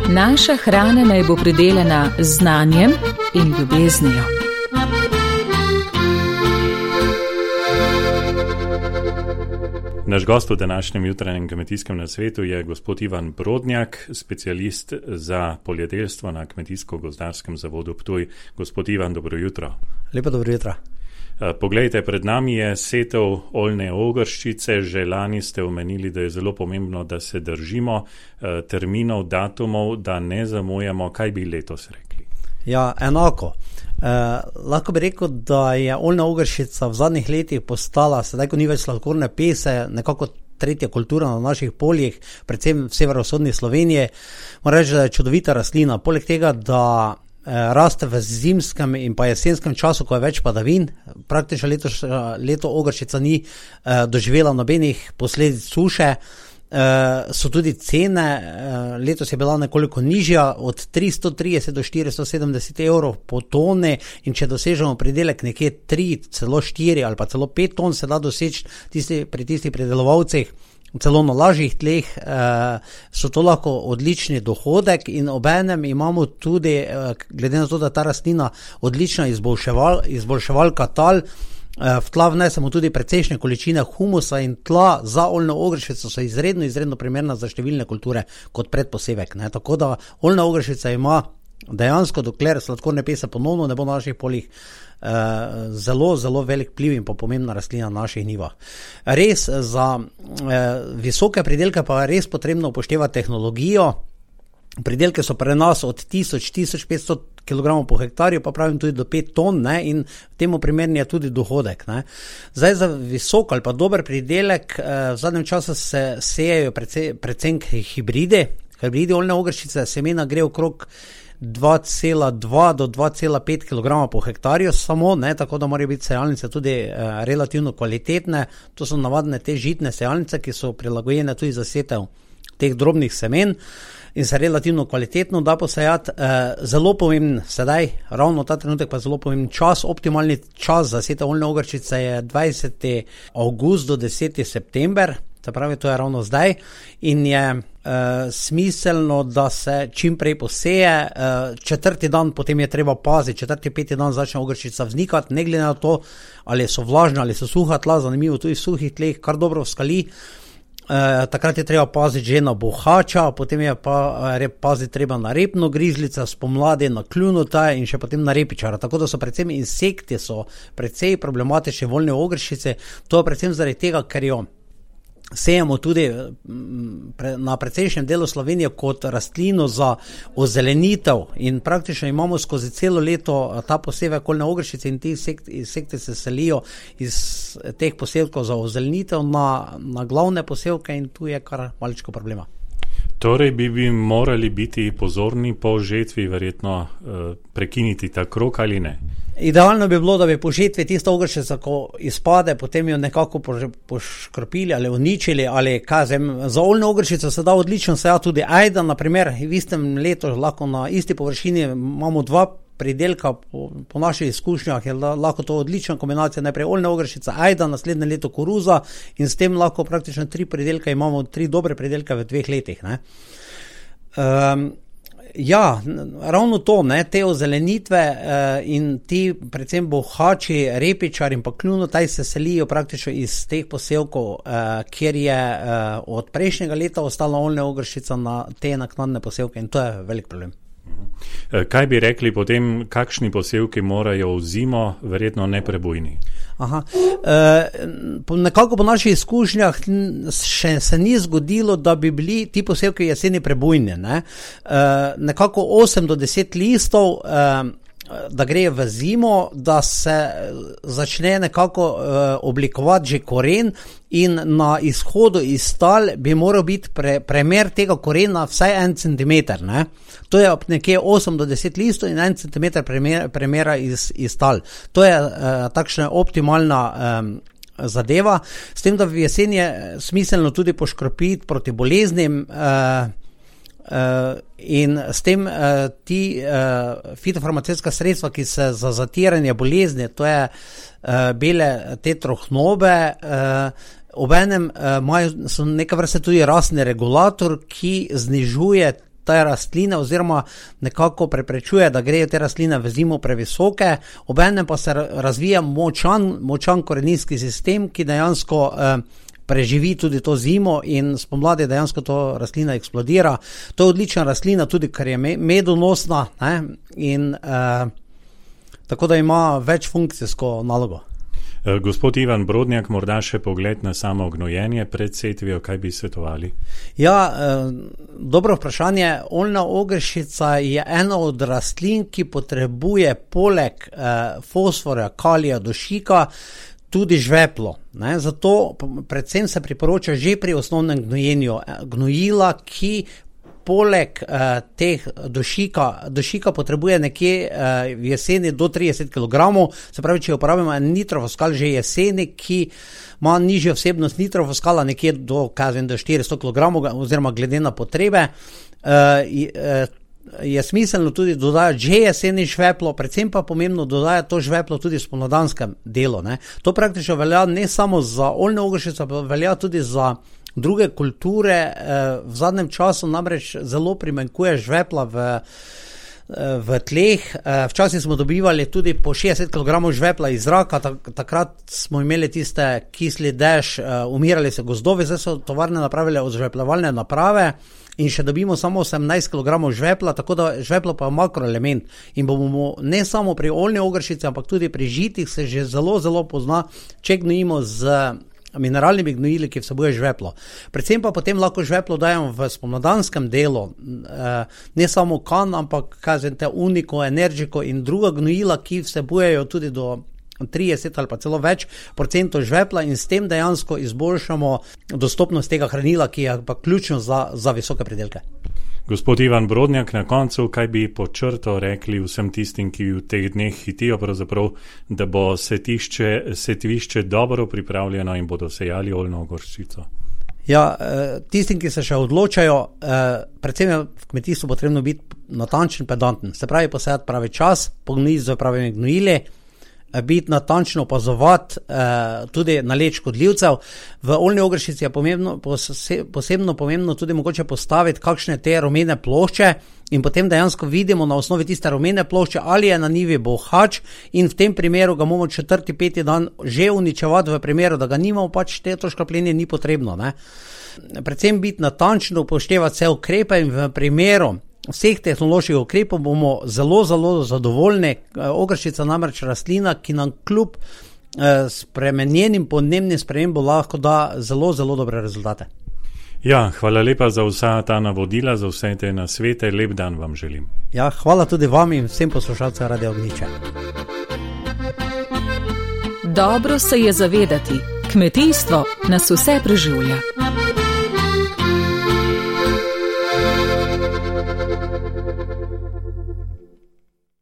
Naša hrana naj bo pridelana z znanjem in ljubeznijo. Naš gost v današnjem jutranjem kmetijskem nasvetu je gospod Ivan Brodnjak, specialist za poljedelstvo na Kmetijsko-gozdarskem zavodu Ptuj. Gospod Ivan, dobro jutro. Lepo dobro jutro. Poglejte, pred nami je setev oljne ogrščice. Že lani ste omenili, da je zelo pomembno, da se držimo terminov, datumov, da ne zamujamo. Kaj bi letos rekli? Ja, enako. Lahko bi rekel, da je oljna ogrščica v zadnjih letih postala, sedaj ko ni več sladkorne pese, nekako tretja kultura na naših poljih, predvsem v severovzhodni Sloveniji. Moram reči, da je čudovita rastlina. Poleg tega, da raste v zimskem in pa jesenskem času, ko je več padavin. Praktično leto ogrščica ni doživela nobenih posledic suše. So tudi cene, letos je bila nekoliko nižja, od 330 do 470 evrov po toni, in če dosežemo pridelek nekje 3, celo 4 ali pa celo 5 ton, se da doseči pri tistih pridelovalcih, celo na lažjih tleh, so to lahko odlični dohodek, in obenem imamo tudi, glede na to, da ta rastlina odlična izboljševalka tal, v tla vnesemo tudi precejšnje količine humusa, in tla za oljno ogrščico so izredno primerna za številne kulture kot predposevek. Tako da oljna ogrščica ima dejansko, dokler sladkorne pese ponovno ne bo na naših poljih, zelo velik vpliv in pa pomembna rastlina na naših njivah. Res, za visoke pridelke pa je res potrebno upoštevati tehnologijo. Pridelke so pri nas od 1000-1500 kg po hektarju, pa pravim tudi do 5 ton, in temu primerni je tudi dohodek. Zdaj, za visok ali pa dober pridelek v zadnjem času se sejejo predvsem hibridi oljne ogrščice. Semena gre okrog 2,2 do 2,5 kg po hektarju samo, tako da morajo biti sejalnice tudi relativno kvalitetne. To so navadne te žitne sejalnice, ki so prilagojene tudi za setev teh drobnih semen in se relativno kvalitetno da posejati. Zelo pomemben sedaj, ravno ta trenutek pa zelo pomemben čas, optimalni čas za setev oljne ogrščice je 20. avgust do 10. september, se pravi, to je ravno zdaj, in je smiselno, da se čim prej poseje. Četrti dan potem je treba paziti, 4. 5. dan začne ogrščica vznikati, ne glede na to, ali so vlažne ali so suha tla, zanimivo, tudi v suhih tleh kar dobro skali. Takrat je treba paziti že na bohača, potem je pa paziti treba na repno grižljica, spomladi na kljunuta in še potem na repičara. Tako da so predvsem insekti precej problematični v oljni ogrščici. To je predvsem zaradi tega, ker jo sejemo tudi na precejšnjem delu Slovenije kot rastlino za ozelenitev, in praktično imamo skozi celo leto ta posevek oljne ogrščice, in ti insekti se selijo iz teh posevkov za ozelenitev na glavne posevke, in tu je kar maličko problema. Torej bi morali biti pozorni po žetvi, verjetno prekiniti ta krog ali ne? Idealno bi bilo, da bi po žetvi tista ogrščica, ko izpade, potem jo nekako poškropili ali uničili, ali za oljno ogrščico se da odlično sejati tudi ajda. Na primer, v istem letu lahko na isti površini imamo 2 pridelka, po naših izkušnjah je lahko to odlična kombinacija, najprej oljna ogrščica, ajda, naslednje leto koruza, in s tem lahko praktično 3 pridelka imamo, 3 dobre pridelke v 2 letih. Ja, ravno to, te ozelenitve in ti predvsem bohači, repičar in pa kljunotaj se selijo praktično iz teh posevkov, kjer je od prejšnjega leta ostala oljna ogrščica na te naknadne posevke, in to je velik problem. Kaj bi rekli potem, kakšni posevki morajo v zimo, verjetno neprebojni? Nekako po naših izkušnjah še se ni zgodilo, da bi bili ti posevki jeseni prebojni. Nekako 8 do 10 listov, da gre v zimo, da se začne nekako oblikovati že koren, in na izhodu iz tal bi moral biti premer tega korena vsaj 1 centimeter. To je nekje 8 do 10 listov in 1 centimeter premera iz tal. To je takšna optimalna zadeva, s tem, da v jeseni je smiselno tudi poškropiti proti boleznim, in s tem ti fitofarmacevtska sredstva, ki se za zatiranje bolezni, to je bele te trohnobe, obenem so neka vrste tudi rastni regulator, ki znižuje te rastline oziroma nekako preprečuje, da grejo te rastline v zimo previsoke, obenem pa se razvija močan koreninski sistem, ki dejansko preživi tudi to zimo in spomladi dejansko to rastlina eksplodira. To je odlična rastlina tudi, ker je medonosna, ne? In tako da ima večfunkcijsko nalogo. Gospod Ivan Brodnjak, morda še pogled na samo gnojenje pred setvijo, kaj bi svetovali? Ja, dobro vprašanje. Oljna ogršica je ena od rastlin, ki potrebuje poleg fosforja, kalija, dušika tudi žveplo. Ne? Zato predvsem se priporoča že pri osnovnem gnojenju gnojila, ki poleg teh dušika potrebuje nekje v jeseni do 30 kg, se pravi, če uporabimo nitrofoskal že jeseni, ki ima nižjo vsebnost nitrofoskala nekje do 400 kg oziroma glede na potrebe, je smiselno tudi dodajati že jeseni žveplo, predvsem pa pomembno dodajati to žveplo tudi v spomladanskem delu. Ne. To praktično velja ne samo za oljno ogršico, pa velja tudi za druge kulture. V zadnjem času namreč zelo primanjkuje žvepla v tleh. Včasih smo dobivali tudi po 60 kg žvepla iz zraka, takrat smo imeli tiste kisli dež, umirali se gozdovi, zdaj so tovarne napravile odzžvepljevalne naprave in še dobimo samo 18 kg žvepla, tako da žveplo pa je makroelement in bomo ne samo pri oljni ogršici, ampak tudi pri žitih se že zelo, zelo pozna, če gnojimo z mineralnimi gnojili, ki vsebuje žveplo. Predvsem pa potem lahko žveplo dajemo v spomladanskem delu, ne samo kan, ampak uniko, energiko in druga gnojila, ki vsebujejo tudi do 30 ali pa celo več procentov žvepla in s tem dejansko izboljšamo dostopnost tega hranila, ki je pa ključno za visoke pridelke. Gospod Ivan Brodnjak, na koncu, kaj bi pod črto rekli vsem tistim, ki v teh dneh hitijo pravzaprav, da bo setvišče dobro pripravljeno in bodo sejali oljno ogrščico? Ja, tistim, ki se še odločajo, predvsem je v kmetijstvu potrebno biti natančen, pedanten. Se pravi, posejati pravi čas, pognojiti z pravimi gnojili, biti natančno opazovati tudi naleč škodljivcev. V oljni ogršici je posebno pomembno tudi mogoče postaviti kakšne te rumene plošče in potem dejansko vidimo na osnovi tiste rumene plošče, ali je na njivi bohač in v tem primeru ga moramo 4-5 dan že uničevati, v primeru, da ga nimamo, pač to škropljenje ni potrebno. Ne? Predvsem biti natančno, upoštevati vse ukrepe in v primeru vseh tehnoloških ukrepov bomo zelo, zelo zadovoljni. Ogrščica namreč rastlina, ki nam kljub spremenjenim podnebnim spremembam lahko da zelo, zelo dobre rezultate. Ja, hvala lepa za vsa ta navodila, za vse te nasvete. Lep dan vam želim. Ja, hvala tudi vam in vsem poslušalcem Radia Ognjiče. Dobro se je zavedati, kmetijstvo nas vse preživlja.